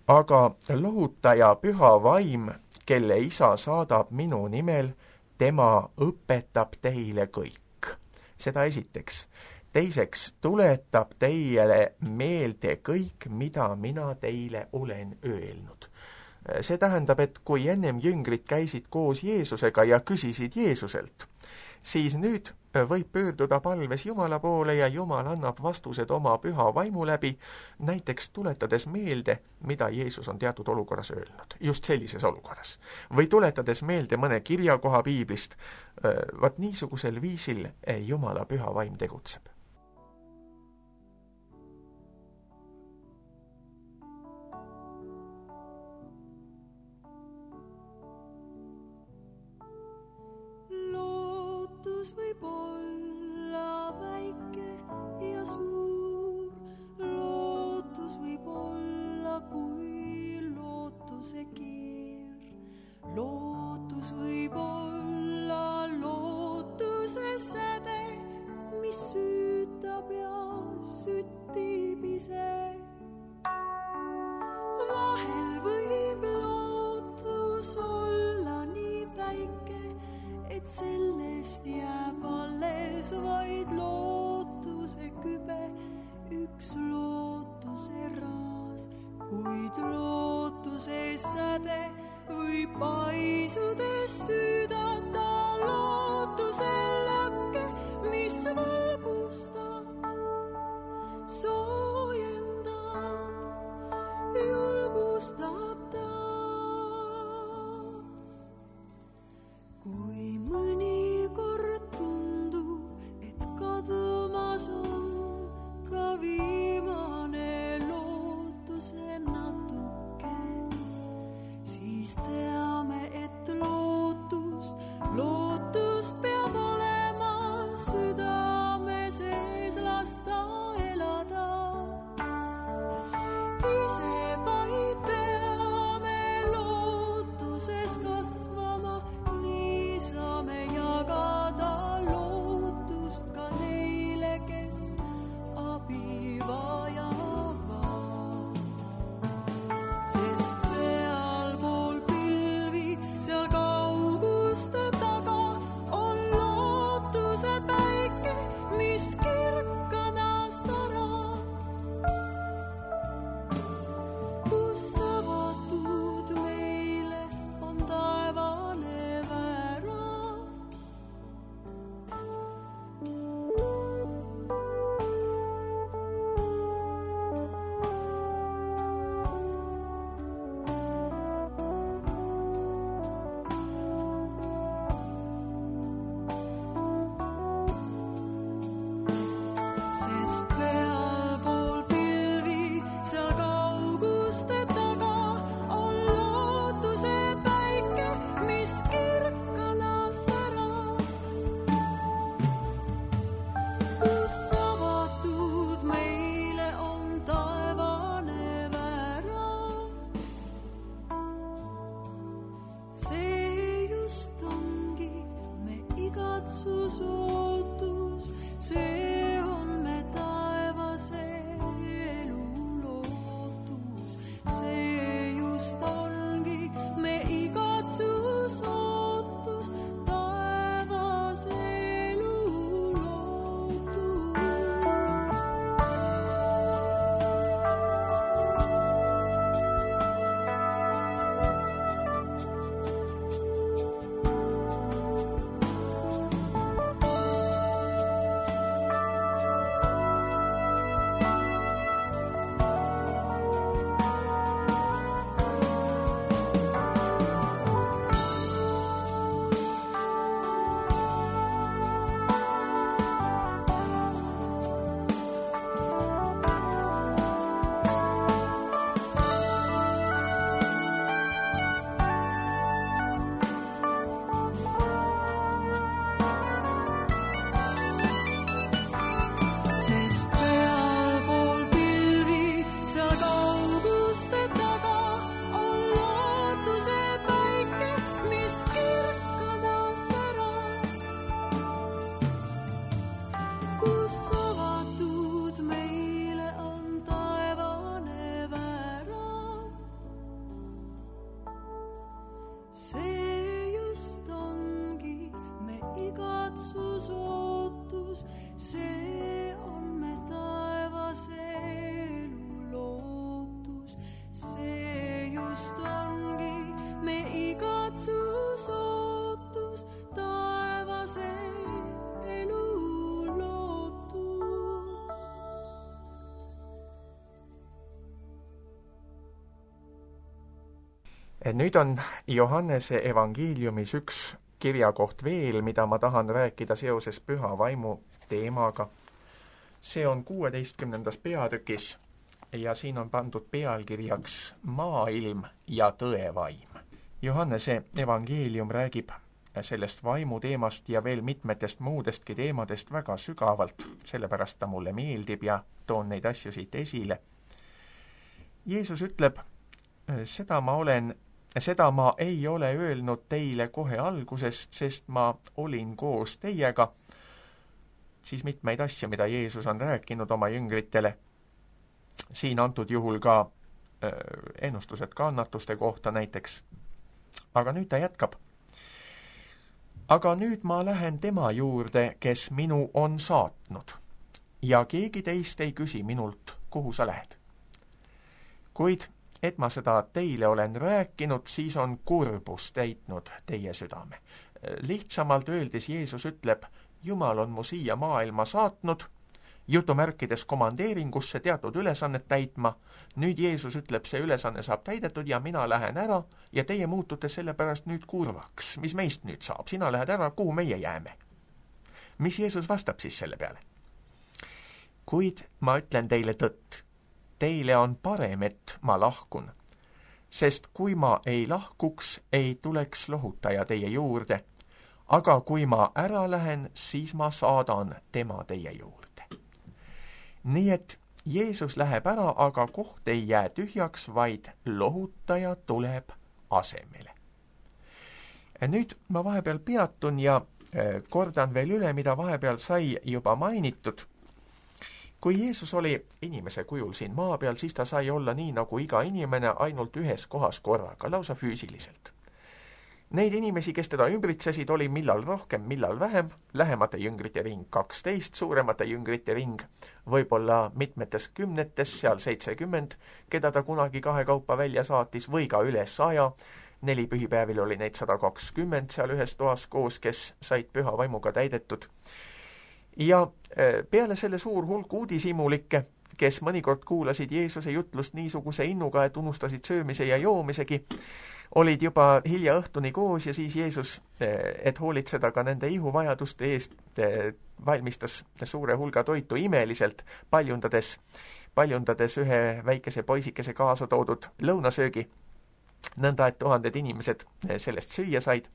Aga lohutaja püha vaim, kelle isa saadab minu nimel, tema õpetab teile kõik. Seda esiteks. Teiseks, tuletab teile meelde kõik, mida mina teile olen öelnud. See tähendab, et kui ennem jüngrid käisid koos Jeesusega ja küsisid Jeesuselt, siis nüüd võib pöörduda palves Jumala poole ja Jumal annab vastused oma püha vaimu läbi, näiteks tuletades meelde, mida Jeesus on teatud olukorras öelnud, just sellises olukorras. Või tuletades meelde mõne kirjakoha piiblist, vaat niisugusel viisil Jumala püha vaim tegutseb. Võib olla väike ja suur, lootus võib olla kui lootuse keer. Lootus võib olla lootuse säde, mis süütab ja süttib ise. Vahel võib lootus olla nii väike, et sellest jääb alles vaid lootuse kübe, üks lootuse raas, kuid lootuse säde võib paisudes süüdata lootuse lakke, mis valgustab, soojendab, julgustab taas. Kui mõnikord tundub, et kadumas on ka viimane lootuse natuke, siis teame, et lootust peab olema südame sees lasta elada. Ise vaid peame lootuses kasvama, saame jagada lootust. igatsus ootus, see on me taevase elu lootus. See just ongi me igatsus ootus, taevase elu lootus. Nüüd on Johannese evangeeliumis üks kirjakoht veel, mida ma tahan rääkida seoses püha vaimu teemaga. See on 16. peatükis ja siin on pandud pealkirjaks Maailm ja tõevaim. Johannese evangeelium räägib sellest vaimu teemast ja veel mitmetest muudestki teemadest väga sügavalt, sellepärast ta mulle meeldib ja toon neid asju siit esile. Jeesus ütleb, seda ma ei ole öelnud teile kohe algusest, sest ma olin koos teiega. Siis mitmeid asju, mida Jeesus on rääkinud oma jüngritele. Siin antud juhul ka ennustused kannatuste kohta näiteks. Aga nüüd ta jätkab. Aga nüüd ma lähen tema juurde, kes minu on saatnud. Ja keegi teist ei küsi minult, kuhu sa lähed. Kuid et ma seda teile olen rääkinud, siis on kurbus täitnud teie südame. Lihtsamalt öeldes Jeesus ütleb, Jumal on mu siia maailma saatnud, jutumärkides komandeeringusse teatud ülesannet täitma. Nüüd Jeesus ütleb, see ülesanne saab täidetud ja mina lähen ära ja teie muutute sellepärast nüüd kurvaks. Mis meist nüüd saab? Sina lähed ära, kuhu meie jääme? Mis Jeesus vastab siis selle peale? Kuid ma ütlen teile tõtt. Teile on parem, et ma lahkun, sest kui ma ei lahkuks, ei tuleks lohutaja teie juurde, aga kui ma ära lähen, siis ma saadan tema teie juurde. Nii et Jeesus läheb ära, aga koht ei jää tühjaks, vaid lohutaja tuleb asemele. Nüüd ma vahepeal peatun ja kordan veel üle, mida vahepeal sai juba mainitud. Kui Jeesus oli inimese kujul siin maa peal, siis ta sai olla nii nagu iga inimene ainult ühes kohas korraga, lausa füüsiliselt. Neid inimesi, kes teda ümbritsesid, oli millal rohkem, millal vähem, lähemate jüngrite ring 12, suuremate jüngrite ring võib-olla mitmetes kümnetes, seal 70, keda ta kunagi kahekaupa välja saatis, või ka üle 100, 4 pühipäevil oli neid 120 seal ühes toas koos, kes said püha vaimuga täidetud. Ja peale selle suur hulk uudishimulikke, kes mõnikord kuulasid Jeesuse jutlust niisuguse innuga, et unustasid söömise ja joomisegi, olid juba hilja õhtuni koos ja siis Jeesus, et hoolitseda ka nende ihuvajaduste eest, valmistas suure hulga toitu imeliselt, paljundades ühe väikese poisikese kaasa toodud lõunasöögi, nõnda et 1000 inimesed sellest süüa said.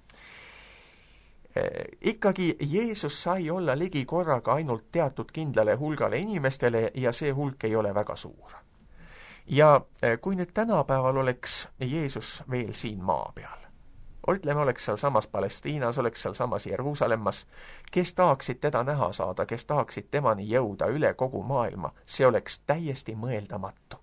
Ikkagi Jeesus sai olla ligi korraga ainult teatud kindlale hulgale inimestele ja see hulk ei ole väga suur. Ja kui nüüd tänapäeval oleks Jeesus veel siin maa peal, ütleme, oleks seal samas Palestiinas, oleks seal samas Jeruusalemmas, kes tahaksid teda näha saada, kes tahaksid temani jõuda üle kogu maailma, see oleks täiesti mõeldamatu.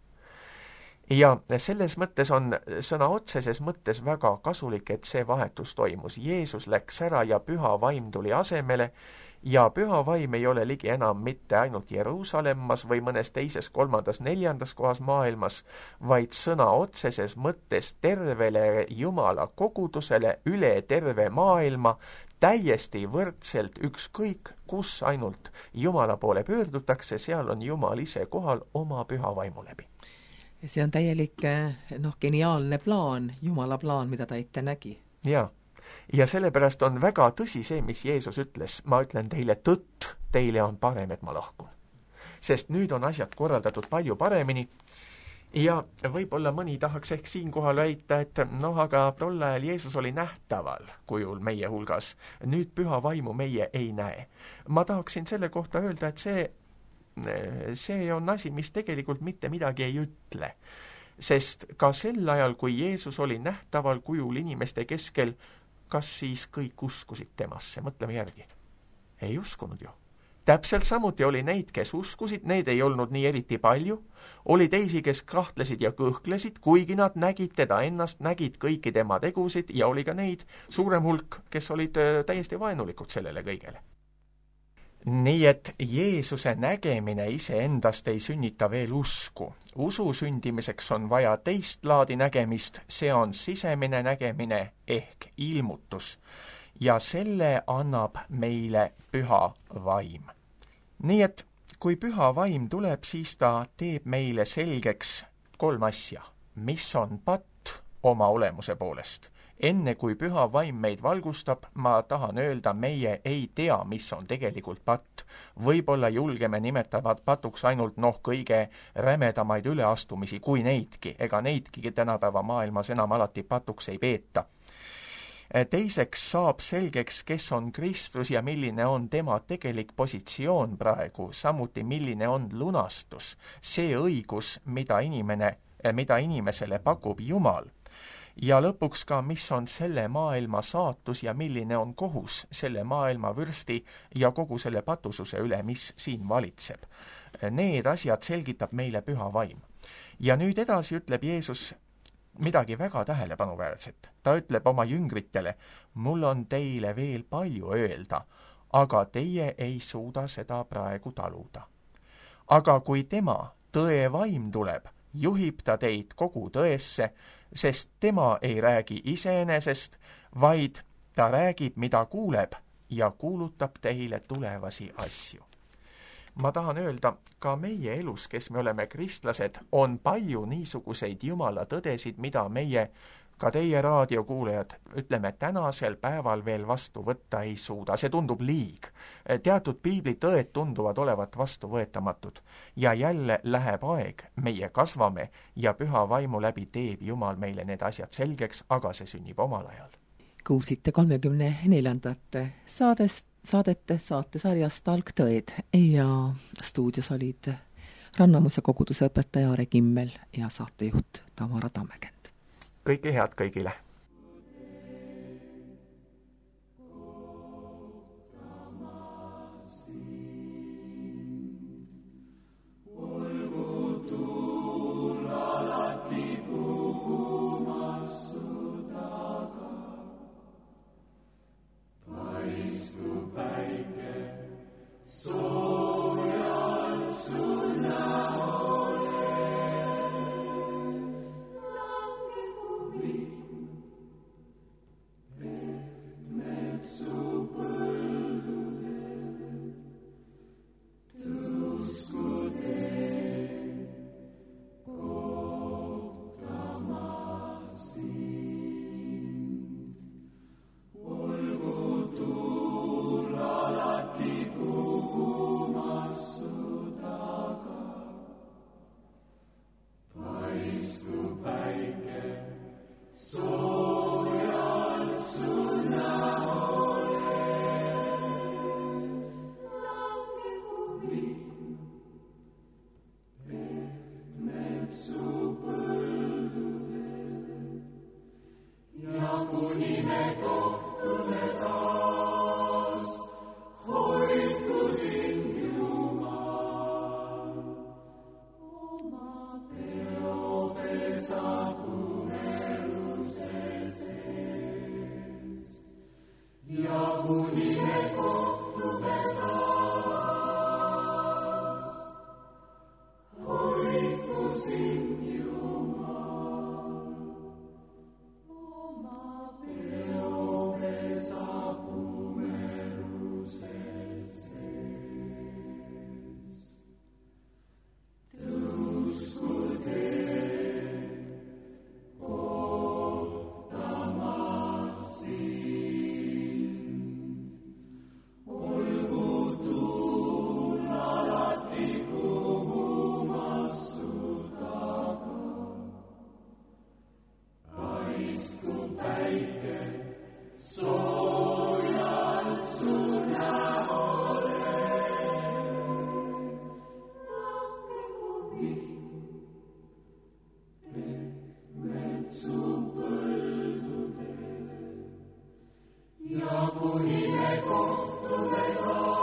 Ja selles mõttes on sõna otseses mõttes väga kasulik, et see vahetus toimus. Jeesus läks ära ja püha vaim tuli asemele ja püha vaim ei ole ligi enam mitte ainult Jeruusalemmas või mõnes teises, 3., 4. kohas maailmas, vaid sõna otseses mõttes tervele Jumala kogudusele üle terve maailma, täiesti võrdselt ükskõik, kus ainult Jumala poole pöördutakse, seal on Jumal ise kohal oma püha vaimu läbi. See on täielik, geniaalne plaan, Jumala plaan, mida ta ette nägi. Ja sellepärast on väga tõsi see, mis Jeesus ütles. Ma ütlen teile tõtt, teile on parem, et ma lahkun. Sest nüüd on asjad korraldatud palju paremini ja võib-olla mõni tahaks ehk siinkohal väita, et aga tol ajal Jeesus oli nähtaval kujul meie hulgas. Nüüd püha vaimu meie ei näe. Ma tahaksin selle kohta öelda, et see on asi, mis tegelikult mitte midagi ei ütle. Sest ka sel ajal, kui Jeesus oli nähtaval kujul inimeste keskel, kas siis kõik uskusid temasse? Mõtleme järgi. Ei uskunud ju. täpselt samuti oli neid, kes uskusid, need ei olnud nii eriti palju, oli teisi, kes kahtlesid ja kõhklesid, kuigi nad nägid teda ennast, nägid kõiki tema tegusid ja oli ka neid suurem hulk, kes olid täiesti vaenulikud sellele kõigele. Nii et Jeesuse nägemine iseendast ei sünnita veel usku. Usu sündimiseks on vaja teist laadi nägemist, see on sisemine nägemine ehk ilmutus ja selle annab meile püha vaim. Nii et kui püha vaim tuleb, siis ta teeb meile selgeks 3 asja, mis on patt oma olemuse poolest. Enne kui püha vaim meid valgustab, ma tahan öelda, meie ei tea, mis on tegelikult patt. Võib-olla julgeme nimetavad patuks ainult kõige rämedamaid üleastumisi, kui neidki, ega neidki tänapäeva maailmas enam alati patuks ei peeta. Teiseks saab selgeks, kes on Kristus ja milline on tema tegelik positsioon praegu, samuti milline on lunastus, see õigus, mida inimesele pakub Jumal. Ja lõpuks ka, mis on selle maailma saatus ja milline on kohus selle maailma vürsti ja kogu selle patususe üle, mis siin valitseb. Need asjad selgitab meile püha vaim. Ja nüüd edasi ütleb Jeesus midagi väga tähelepanuväärset. Ta ütleb oma jüngritele, mul on teile veel palju öelda, aga teie ei suuda seda praegu taluda. Aga kui tema, tõe vaim tuleb, juhib ta teid kogu tõesse, sest tema ei räägi iseenesest, vaid ta räägib, mida kuuleb ja kuulutab teile tulevasi asju. Ma tahan öelda, ka meie elus, kes me oleme kristlased, on palju niisuguseid Jumala tõdesid, mida meie, ka teie raadiokuulajad, ütleme tänasel päeval veel vastu võtta ei suuda. See tundub liig. Teatud piiblitõed tunduvad olevat vastuvõetamatud. Ja jälle läheb aeg, meie kasvame ja püha vaimu läbi teeb Jumal meile need asjad selgeks, aga see sünnib omal ajal. Kuulsite 34. saatesarjast Algtõed ja stuudios olid Rannamuse koguduse õpetaja Aare Kimmel ja saatejuht Tamara Tammekend. Kõike head kõigile! Ja kuni me kohtume taas.